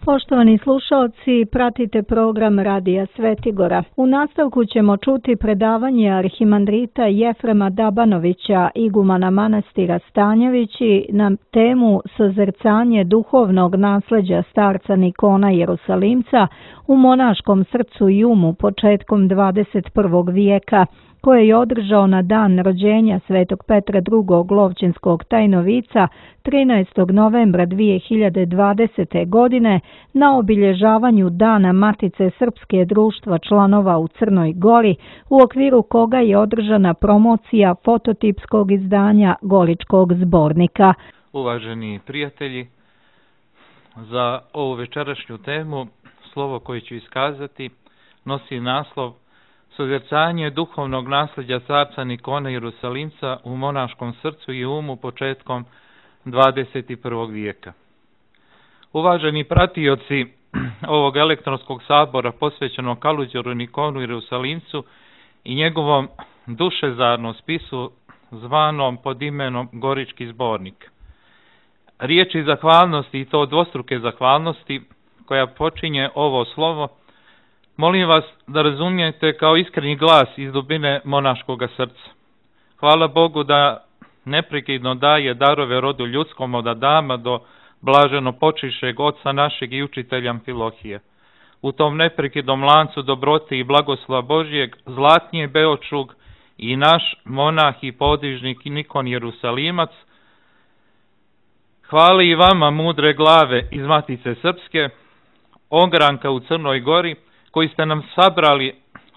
Poštovani slušalci, pratite program Radija Svetigora. U nastavku ćemo čuti predavanje arhimandrita Jefrema Dabanovića, igumana manastira Stanjevići, na temu Sozercanje duhovnog nasleđa starca Nikona Jerusalimca u monaškom srcu i umu početkom 21. vijeka, koje je održao na dan rođenja Svetog Petra II. Lovćenskog tajnovica 13. novembra 2020. godine na obilježavanju Dana Matice Srpske društva članova u Crnoj Gori, u okviru koga je održana promocija fototipskog izdanja Goričkog zbornika. Uvaženi prijatelji, za ovu večerašnju temu slovo koje ću iskazati nosi naslov Sozercanje duhovnog nasljeđa starca Nikona Jerusalimca u monaškom srcu i umu početkom 21. vijeka. Uvaženi pratioci ovog elektronskog sabora posvećenog Kaluđeru Nikonu Jerusalimcu i njegovom dušezarnom spisu zvanom pod imenom Gorički zbornik. Riječi zahvalnosti, i to dvostruke zahvalnosti, koja počinje ovo slovo, molim vas da razumijete kao iskreni glas iz dubine monaškoga srca. Hvala Bogu da neprekidno daje darove rodu ljudskom od Adama do blaženo počišeg oca našeg i učitelja Amfilohije. U tom neprekidnom lancu dobrote i blagoslova Božjeg zlatnije Beočug i naš monah i podižnik Nikon Jerusalimac. Hvala i vama, mudre glave iz Matice Srpske, ogranka u Crnoj Gori, koji ste nam sabrali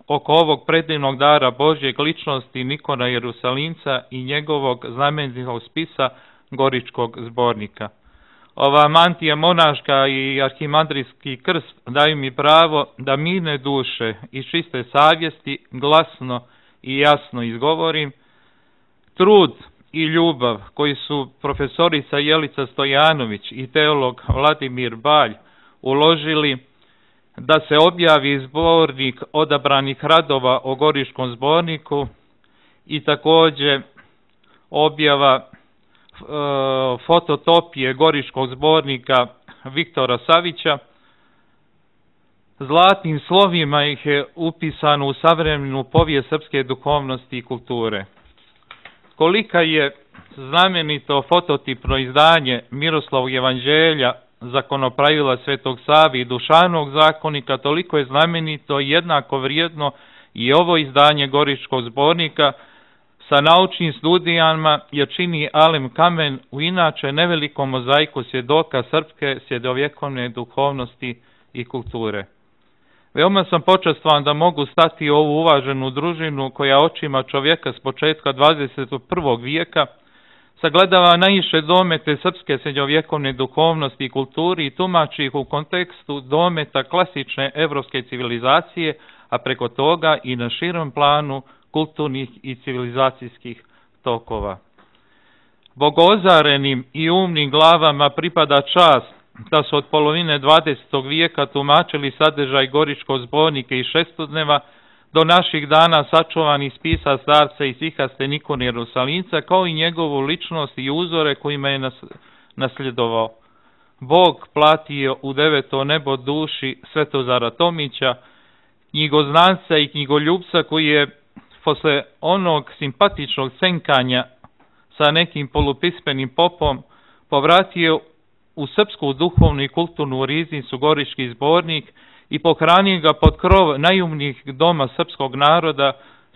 oko ovog predivnog dara Božjeg ličnosti Nikona Jerusalimca i njegovog znamenitog spisa Goričkog zbornika. Ova mantija monaška i arhimandrijski krst daju mi pravo da mirne duše i čiste savjesti glasno i jasno izgovorim. Trud i ljubav koji su profesorica Jelica Stojanović i teolog Vladimir Balj uložili da se objavi zbornik odabranih radova o Goričkom zborniku i također objava fototopije Goričkog zbornika Viktora Savića. Zlatnim slovima ih je upisano u savremenu povijest srpske duhovnosti i kulture. Kolika je znamenito fototipno izdanje Miroslavog evanđelja, zakonopravila Svetog Save i Dušanog zakonika, toliko je znamenito i jednako vrijedno i ovo izdanje Goričkog zbornika sa naučnim studijama, jer čini Alem kamen u inače nevelikom mozaiku svjedoka srpske srednjovjekovne duhovnosti i kulture. Veoma sam počastvan da mogu stati u ovu uvaženu družinu koja očima čovjeka s početka 21. vijeka sagledava najviše domete srpske srednjovjekovne duhovnosti i kulturi i tumači ih u kontekstu dometa klasične evropske civilizacije, a preko toga i na širom planu kulturnih i civilizacijskih tokova. Bogozarenim i umnim glavama pripada čast da su od polovine 20. vijeka tumačili sadržaj Goričkog zbornika i šestodneva do naših dana sačuvani spisa starca i sihaste Nikona Jerusalimca, kao i njegovu ličnost i uzore kojima je nasljedovao. Bog platio u 9. nebo duši Svetozara Tomića, knjigoznanca i knjigoljubca, koji je posle onog simpatičnog cenkanja sa nekim polupismenim popom povratio u srpsku duhovnu i kulturnu riznicu Gorički zbornik i pohranio ga pod krov najumnijih doma srpskog naroda,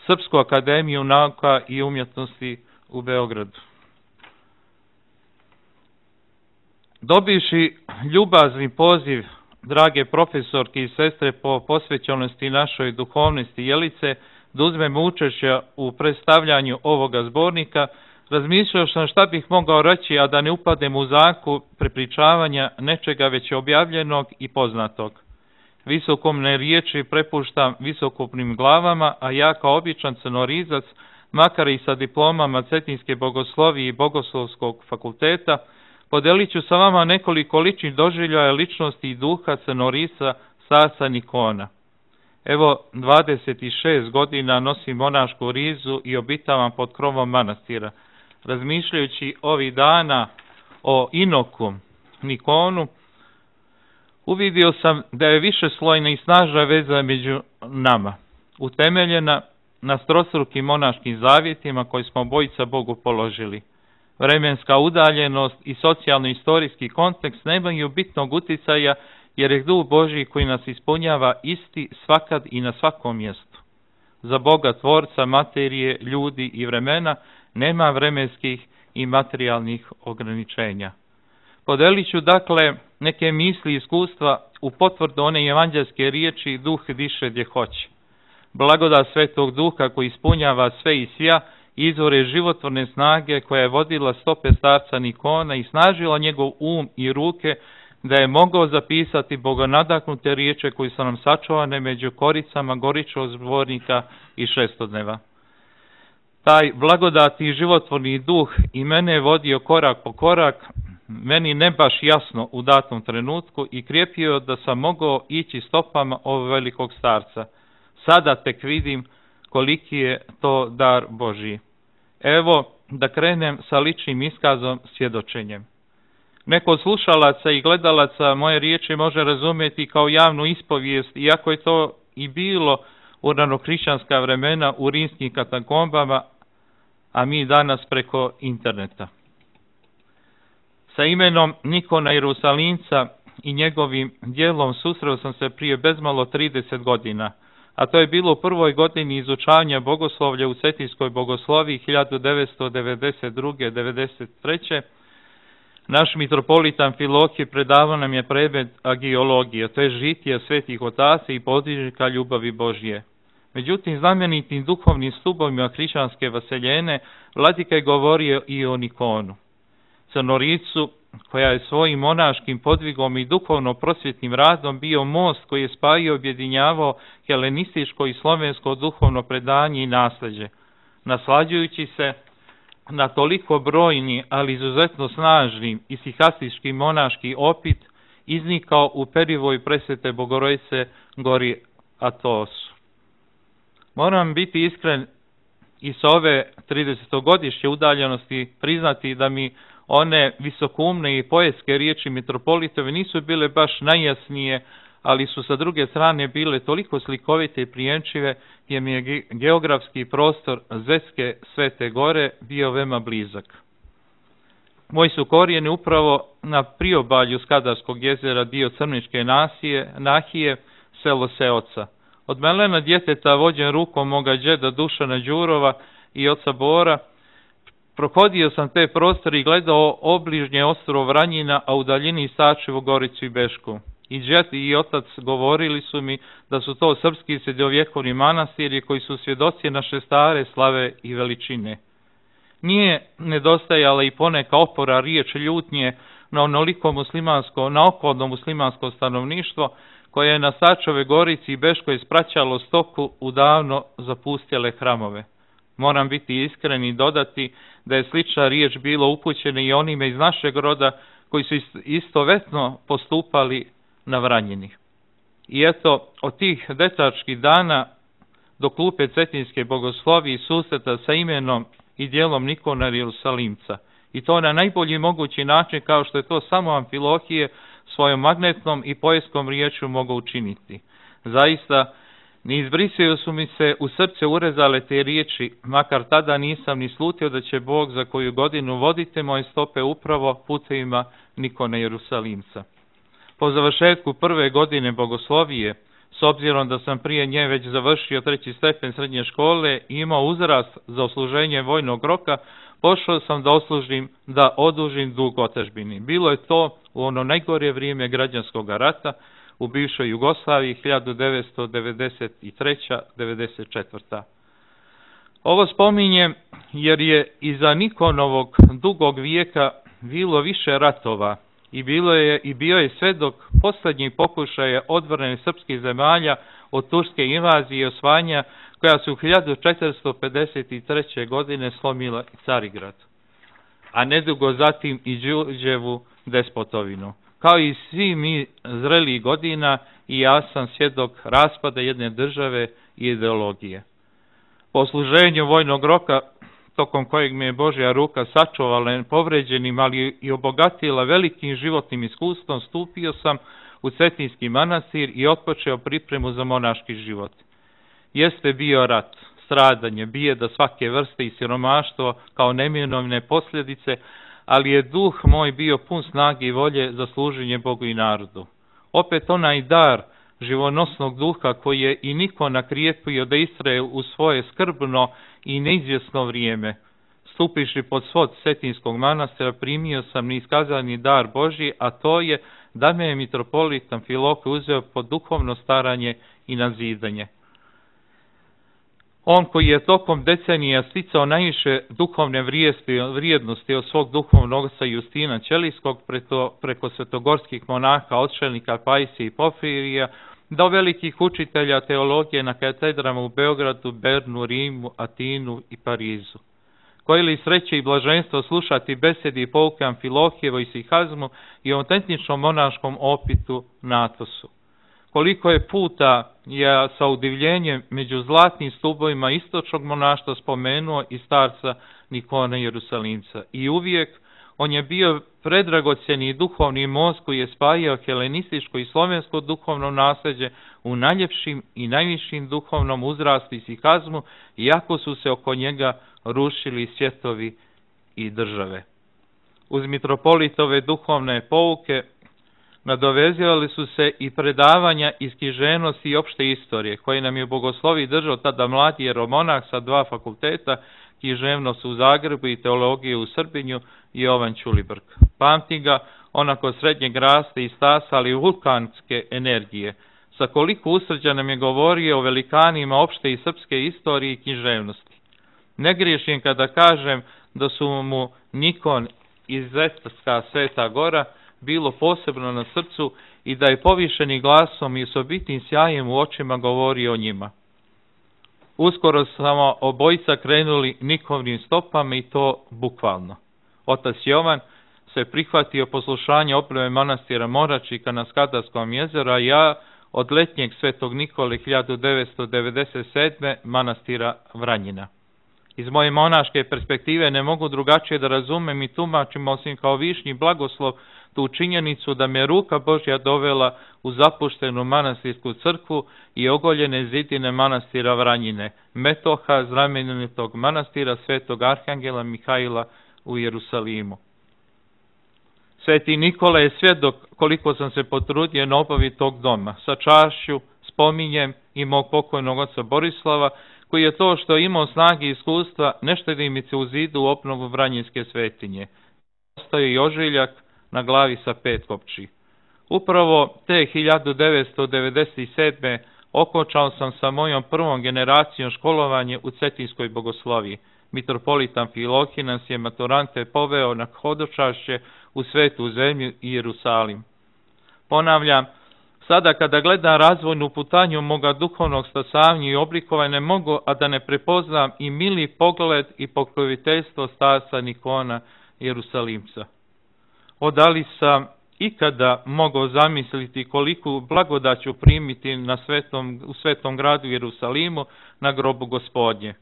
Srpsku akademiju nauka i umjetnosti u Beogradu. Dobiši ljubazni poziv drage profesorke i sestre po posvećenosti našoj duhovnosti Jelice da uzmemo učešće u predstavljanju ovoga zbornika, razmišljao sam šta bih mogao reći, a da ne upadnem u zamku prepričavanja nečega već objavljenog i poznatog. Visokomne riječi prepuštam visokopnim glavama, a ja kao običan crnorizac, makar i sa diplomama Cetinske bogoslovije i Bogoslovskog fakulteta, podelit ću sa vama nekoliko ličnih doživljaja ličnosti i duha crnorisa starca Nikona. Evo, 26 godina nosim monašku rizu i obitavam pod krovom manastira. Razmišljajući ovih dana o Inoku Nikonu, Uvidio sam da je višeslojna i snažna veza među nama, utemeljena na strostrukim monaškim zavjetima koje smo obojica Bogu položili. Vremenska udaljenost i socijalno-istorijski kontekst nemaju bitnog uticaja, jer je duh Božji koji nas ispunjava isti svakad i na svakom mjestu. Za Boga tvorca materije, ljudi i vremena nema vremenskih i materijalnih ograničenja. Podelit ću dakle neke misli i iskustva u potvrdu one evanđelske riječi duh diše gdje hoće. Blagodat Svetog Duha koji ispunjava sve i svja, izvore životvorne snage koja je vodila stope starca Nikona i snažila njegov i ruke da je mogao zapisati bogonadahnute riječi koji su nam sačuvane među koricama Goričkog zbornika i Šestodneva. Taj blagodati životvorni duh i mene je vodio korak po korak, meni ne baš jasno u datom trenutku i krijepio da sam mogao ići stopama ovog velikog starca. Sada tek vidim koliki je to dar Božji. Evo da krenem sa ličnim iskazom, svjedočenjem. Neko od slušalaca i gledalaca moje riječi može razumjeti kao javnu ispovijest, iako je to i bilo u ranokrišćanska vremena u rimskim katakombama, a mi danas preko interneta. Sa imenom Nikona Jerusalimca i njegovim djelom susreo sam se prije bezmalo 30 godina, a to je bilo u prvoj godini izučavanja bogoslovlja u Cetinskoj bogosloviji 1992-93. Naš mitropolit Amfilohije predavao nam je predmet agiologije, to je žitije svetih otaca i podvižnika ljubavi Božje. Međutim, znamenitim duhovnim stubovima hrišćanske vaseljene, vladika je govorio i o Nikonu, Crnoricu, koja je svojim monaškim podvigom i duhovno prosvjetnim radom bio most koji je spajao i objedinjavao helenističko i slovensko duhovno predanje i nasljeđe, naslađujući se na toliko brojni, ali izuzetno snažnim i sihastički monaški opit iznikao u perivoj presvete Bogorodice Gori Atosu. Moram biti iskren i sa ove 30-godišnje udaljenosti priznati da mi one visokoumne i poetske riječi mitropolitove nisu bile baš najjasnije, ali su sa druge strane bile toliko slikovite i prijemčive, gdje mi je geografski prostor Zetske Svete Gore bio veoma blizak. Moji su korijeni upravo na priobalju Skadarskog jezera, dio Crničke nahije, selo Seoca. Od melena djeteta vođen rukom moga đeda Dušana Đurova i oca Bora, prohodio sam te prostore i gledao obližnje ostrvo Vranjina, a u daljini Sačevu, Goricu i Bešku. I džed i otac govorili su mi da su to srpski srednjovjekovni manastiri koji su svjedoci naše stare slave i veličine. Nije nedostajala i poneka opora riječ ljutnje na onoliko okolno muslimansko stanovništvo koje je na Sačove Gorici i Beškoj spraćalo stoku u davno zapustjele hramove. Moram biti iskren i dodati da je slična riječ bilo upućena i onime iz našeg roda koji su istovetno postupali na Vranjini. I eto, od tih dečačkih dana do klupe Cetinske bogoslovije i susreta sa imenom i djelom Nikona Jerusalimca. I to na najbolji mogući način, kao što je to samo Amfilohije svojom magnetnom i poetskom riječju mogao učiniti. Zaista, ne izbrisaju su mi se u srce urezale te riječi, makar tada nisam ni slutio da će Bog za koju godinu vodite moje stope upravo putevima Nikona Jerusalimca. Po završetku prve godine bogoslovije, s obzirom da sam prije nje već završio 3. stepen srednje škole i imao uzrast za osluženje vojnog roka, pošao sam da odužim dug otadžbini. Bilo je to u ono najgore vrijeme građanskog rata u bivšoj Jugoslaviji 1993-94. Ovo spominjem jer je iza Nikonovog dugog vijeka bilo više ratova i bio je svedok posljednjih pokušaja odbrane srpskih zemalja od turske invazije i osvajanja koja su u 1453. godine slomila Carigrad, a nedugo zatim i Đurđevu despotovinu. Kao i svi mi zrelih godina, i ja sam svjedok raspada jedne države i ideologije. Po služenju vojnog roka, tokom kojeg me je Božja ruka sačuvala povređenim, ali i obogatila velikim životnim iskustvom, stupio sam u Cetinski manastir i otpočeo pripremu za monaški život. Jeste bio rat, stradanje, bijeda svake vrste i siromaštvo kao neminovne posljedice, ali je duh moj bio pun snage i volje za služenje Bogu i narodu. Opet onaj dar živonosnog duha koji je i Nikon nakrijepio da istraje u svoje skrbno i neizvjesno vrijeme. Stupiši pod svod Cetinskog manastira primio sam neiskazani dar Božji, a to je da me je mitropolit Amfilohije uzeo pod duhovno staranje i nazidanje. On koji je tokom decenija sticao najviše duhovne vrijednosti od svog duhovnog oca Justina Ćelijskog preko svetogorskih monaha, odšelnika Pajsija i Porfirija, do velikih učitelja teologije na katedrama u Beogradu, Bernu, Rimu, Atinu i Parizu. Koje li sreće i blaženstvo slušati besedi i pouke Amfilohijevo i Sihazmu i autentičnom monaškom opitu na Atosu. Koliko je puta je sa udivljenjem među zlatnim stubovima istočnog monaštva spomenuo i starca Nikona Jerusalimca. I uvijek on je bio predragocjeni duhovni most koji je spajao helenističko i slovensko duhovno nasljeđe u najljepšim i najvišim duhovnom uzrastu i sihazmu, iako su se oko njega rušili svjetovi i države. Uz mitropolitove duhovne pouke nadovezivali su se i predavanja iz književnosti i opšte istorije, koje nam je bogoslovi držao tada mladi jeromonah sa 2 fakulteta, književnost u Zagrebu i teologije u Srbinju, Jovan Ćulibrk. Pamti ga onako srednjeg rasta i stasa, ali vulkanske energije. Sa koliko usrđa nam je govorio o velikanima opšte i srpske istorije i književnosti. Ne griješim kada kažem da su mu Nikon iz Zetarska Sveta Gora bilo posebno na srcu i da je povišeni glasom i osobitim sjajem u očima govorio o njima. Uskoro samo obojica krenuli Nikovnim stopama i to bukvalno. Otac Jovan se prihvatio poslušanja obnove manastira Moračika na Skadarskom jezeru, a ja od letnjeg Svetog Nikole 1997. manastira Vranjina. Iz moje monaške perspektive ne mogu drugačije da razumem i tumačim osim kao višnji blagoslov tu činjenicu da me ruka Božja dovela u zapuštenu manastirsku crkvu i ogoljene zidine manastira Vranjine, metoha znamenitog manastira Svetog Arhangela Mihajla u Jerusalimu. Sveti Nikola je svjedok koliko sam se potrudio na obavi tog doma. Sa čašću spominjem i mog pokojnog oca Borislava, koji je to što je imao snage i iskustva neštedimice u zidu u obnovu Vranjinske svetinje. Ostao je i ožiljak na glavi sa 5 kopči. Upravo te 1997. okončao sam sa mojom prvom generacijom školovanje u Cetinskoj bogosloviji. Mitropolit Amfilohije nas je maturante poveo na hodočašće u Svetu zemlju i Jerusalim. Ponavljam, sada kada gledam razvojnu putanju moga duhovnog stasavnja i oblikovanja, ne mogu, a da ne prepoznam i mili pogled i pokroviteljstvo starca Nikona Jerusalimca. Da li sam ikada mogao zamisliti koliku blagodat ću primiti u svetom gradu Jerusalimu na grobu Gospodnje.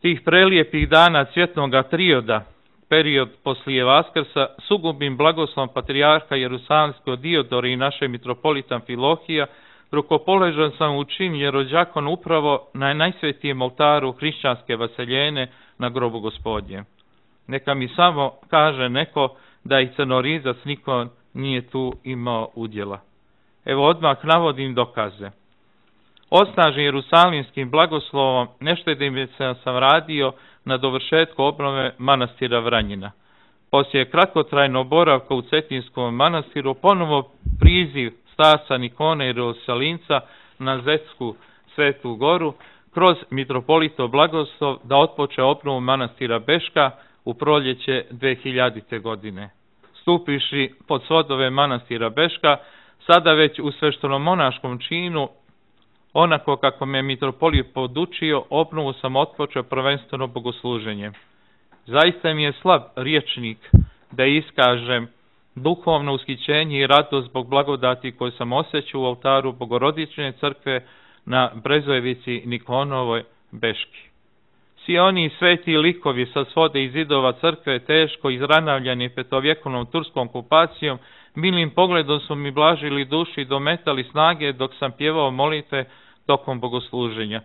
Tih prelijepih dana cvjetnoga trioda, period poslije Vaskrsa, sugubim blagoslovom patrijarha Jerusalimskog Diodora i naše mitropolita Amfilohija, rukopoložen sam u čin jerođakon upravo na najsvetijem oltaru hrišćanske vaseljene na grobu Gospodnje. Neka mi samo kaže neko da i crnorizac niko nije tu imao udjela. Evo odmah navodim dokaze. Osnažen jerusalimskim blagoslovom neštedimice sam radio na dovršetku obnove manastira Vranjina. Poslije kratkotrajnog boravka u Cetinskom manastiru ponovo priziv starca Nikona Jerusalimca na Zetsku Svetu Goru kroz mitropolitov blagoslov da otpoče obnovu manastira Beška u proljeće 2000. godine. Stupiši pod svodove manastira Beška, sada već u svešteno-monaškom činu, onako kako me mitropolit podučio, obnovu sam otpočeo prvenstveno bogosluženjem. Zaista mi je slab riječnik da iskažem duhovno ushićenje i radost zbog blagodati koju sam osjećao u oltaru Bogorodične crkve na Brezojevici Nikonovoj Beški. Svi oni sveti likovi sa svode i zidova crkve teško izranavljani petovjekovnom turskom okupacijom Milim pogledom su mi blažili duši i dometali snage dok sam pjevao molitve tokom bogosluženja.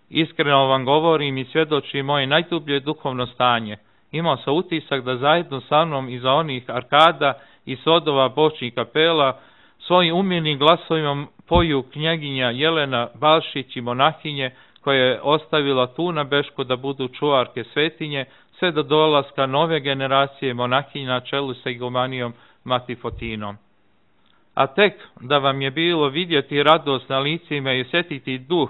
Iskreno vam govorim i svjedočim moje najdublje duhovno stanje. Imao sam utisak da zajedno sa mnom iza onih arkada i sodova bočnih kapela svojim umjenim glasovima poju knjeginja Jelena Balšić i monahinje koja je ostavila tu na Bešku da budu čuvarke svetinje sve do dolaska nove generacije monahinja na čelu sa igumanijom Mati Fotinom. A tek da vam je bilo vidjeti radost na licima i osjetiti duh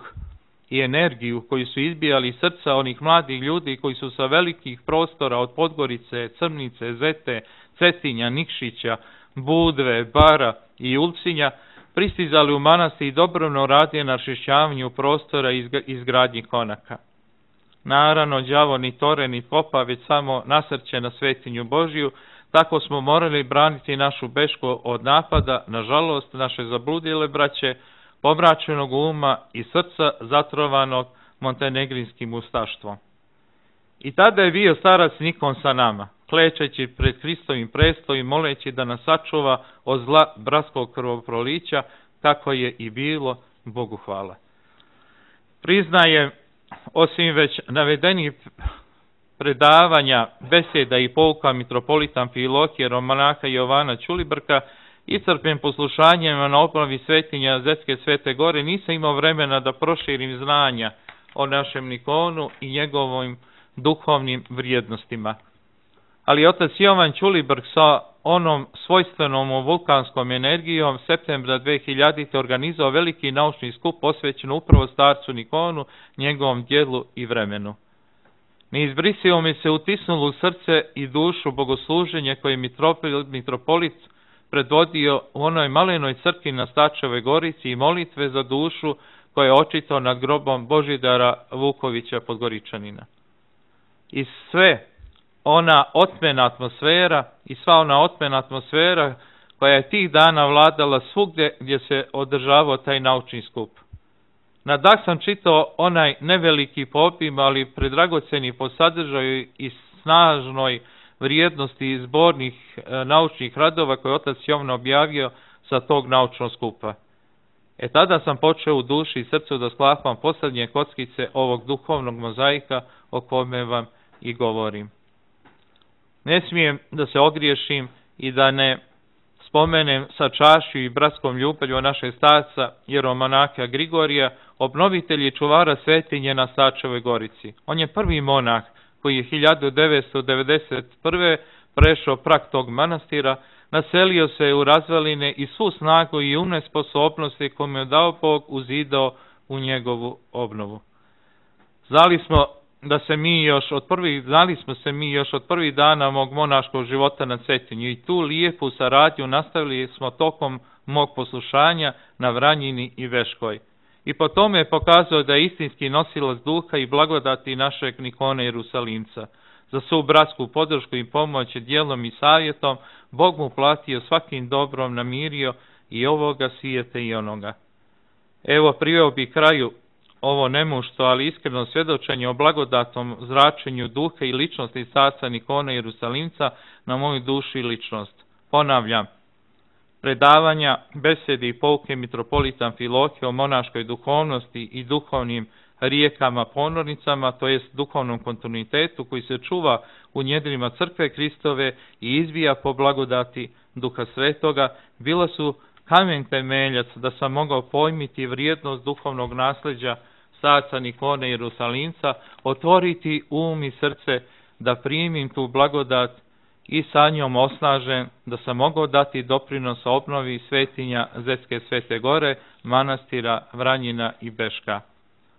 i energiju koju su izbijali iz srca onih mladih ljudi koji su sa velikih prostora od Podgorice, Crnice, Zete, Cetinja, Nikšića, Budve, Bara i Ulcinja pristizali u manastir i dobrovoljno radije na očišćavanju prostora i izgradnji konaka. Naravno, đavo ni tore ni popa, već samo nasrće na svetinju Božiju, tako smo morali braniti našu Bešku od napada, nažalost, naše zabludile braće, pomračenog uma i srca zatrovanog montenegrinskim ustaštvom. I tada je bio starac Nikon sa nama, klečeći pred Hristovim prestolom, moleći da nas sačuva od zla bratskog krvoprolića, kako je i bilo, Bogu hvala. Priznajem, osim već navedenih predavanja, beseda i pouka mitropolita Amfilohije, monaha Jovana Ćulibrka, iscrpljen poslušanjem na obnovi svetinja Zetske Svete Gore, nisam imao vremena da proširim znanja o našem Nikonu i njegovim duhovnim vrijednostima. Ali otac Jovan Ćulibrk sa onom svojstvenom vulkanskom energijom septembra 2000. organizao veliki naučni skup posvećen upravo starcu Nikonu, njegovom djelu i vremenu. Neizbrisivo mi se utisnulo u srce i dušu bogosluženje koje je mitropolit predvodio u onoj malenoj crkvi na Stačevoj Gorici i molitve za dušu koje je očitao nad grobom Božidara Vukovića Podgoričanina. I sve ona otmena atmosfera koja je tih dana vladala svugdje gdje se održavao taj naučni skup. Na dah sam čitao onaj neveliki po obimu, ali predragoceni po sadržaju i snažnoj vrijednosti zbornih naučnih radova koje je otac Jovan objavio sa tog naučnog skupa. Tada sam počeo u duši i srcu da sklapam posljednje kockice ovog duhovnog mozaika o kome vam i govorim. Ne smijem da se ogriješim i da ne spomenem sa čašću i bratskom ljubavlju našeg starca jeromonaha Grigorija, obnovitelj i čuvara svetinje na Stačevoj Gorici. On je prvi monah koji je 1991. prešao prag tog manastira, naselio se u razvaline i svu snagu i umne sposobnosti koje mu je dao Bog uzidao u njegovu obnovu. Znali smo se mi još od prvih dana mog monaškog života na Cetinju i tu lijepu saradnju nastavili smo tokom mog poslušanja na Vranjini i Veškoj. I po tome je pokazao da je istinski nosilac duha i blagodati našeg Nikona Jerusalimca. Za svu bratsku podršku i pomoć djelom i savjetom Bog mu platio svakim dobrom, namirio i ovoga svijeta i onoga. Evo, priveo bi kraju ovo nemušto, ali iskreno svjedočenje o blagodatnom zračenju duha i ličnosti starca Nikona Jerusalimca na moju dušu i ličnost. Ponavljam, predavanja, besede i pouke mitropolita Amfilohije o monaškoj duhovnosti i duhovnim rijekama, ponornicama, to jest duhovnom kontinuitetu koji se čuva u njedrima crkve Kristove i izbija po blagodati Duha Svetoga, bila su kamen temeljac da sam mogao pojmiti vrijednost duhovnog nasljeđa starca Nikona Jerusalimca, otvoriti um i srce da primim tu blagodat i sa njom osnažen da sam mogao dati doprinos obnovi svetinja Zetske Svete Gore, manastira Vranjina i Beška.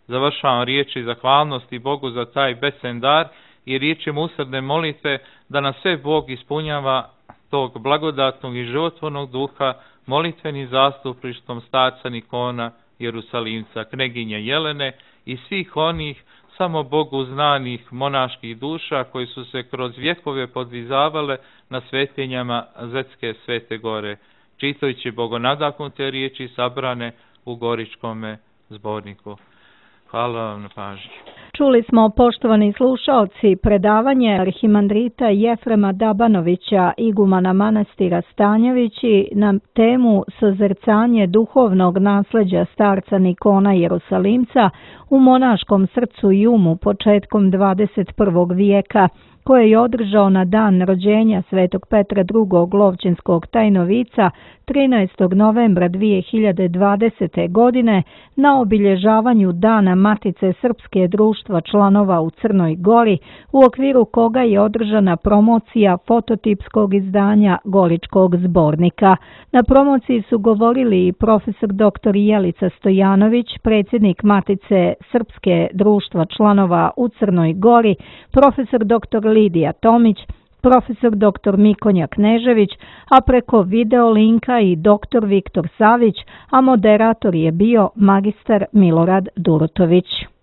Završavam riječi zahvalnosti Bogu za taj besen dar i riječima usrdne molitve da nas sve Bog ispunjava tog blagodatnog i životvornog duha molitvenim zastupništvom starca Nikona Jerusalimca, kneginje Jelene i svih onih samo Bogu znanih monaških duša koji su se kroz vjekove podvizavale na svetinjama Zetske Svete Gore, čitajući bogonadahnute riječi sabrane u Goričkome zborniku. Hvala vam na pažnji. Čuli smo, poštovani slušaoci, predavanje arhimandrita Jefrema Dabanovića, igumana manastira Stanjevići, na temu Sozercanje duhovnog nasleđa starca Nikona Jerusalimca u monaškom srcu i umu početkom 21. vijeka, koje je održao na dan rođenja svetog Petra II. Lovćenskog tajnovica 13. novembra 2020. godine na obilježavanju Dana Matice Srpske društva članova u Crnoj Gori, u okviru koga je održana promocija fototipskog izdanja Goričkog zbornika. Na promociji su govorili i profesor dr. Jelica Stojanović, predsjednik Matice Srpske društva članova u Crnoj Gori, profesor dr. Lidija Tomić, profesor dr. Mikonja Knežević, a preko video linka i dr. Viktor Savić, a moderator je bio magistar Milorad Durotović.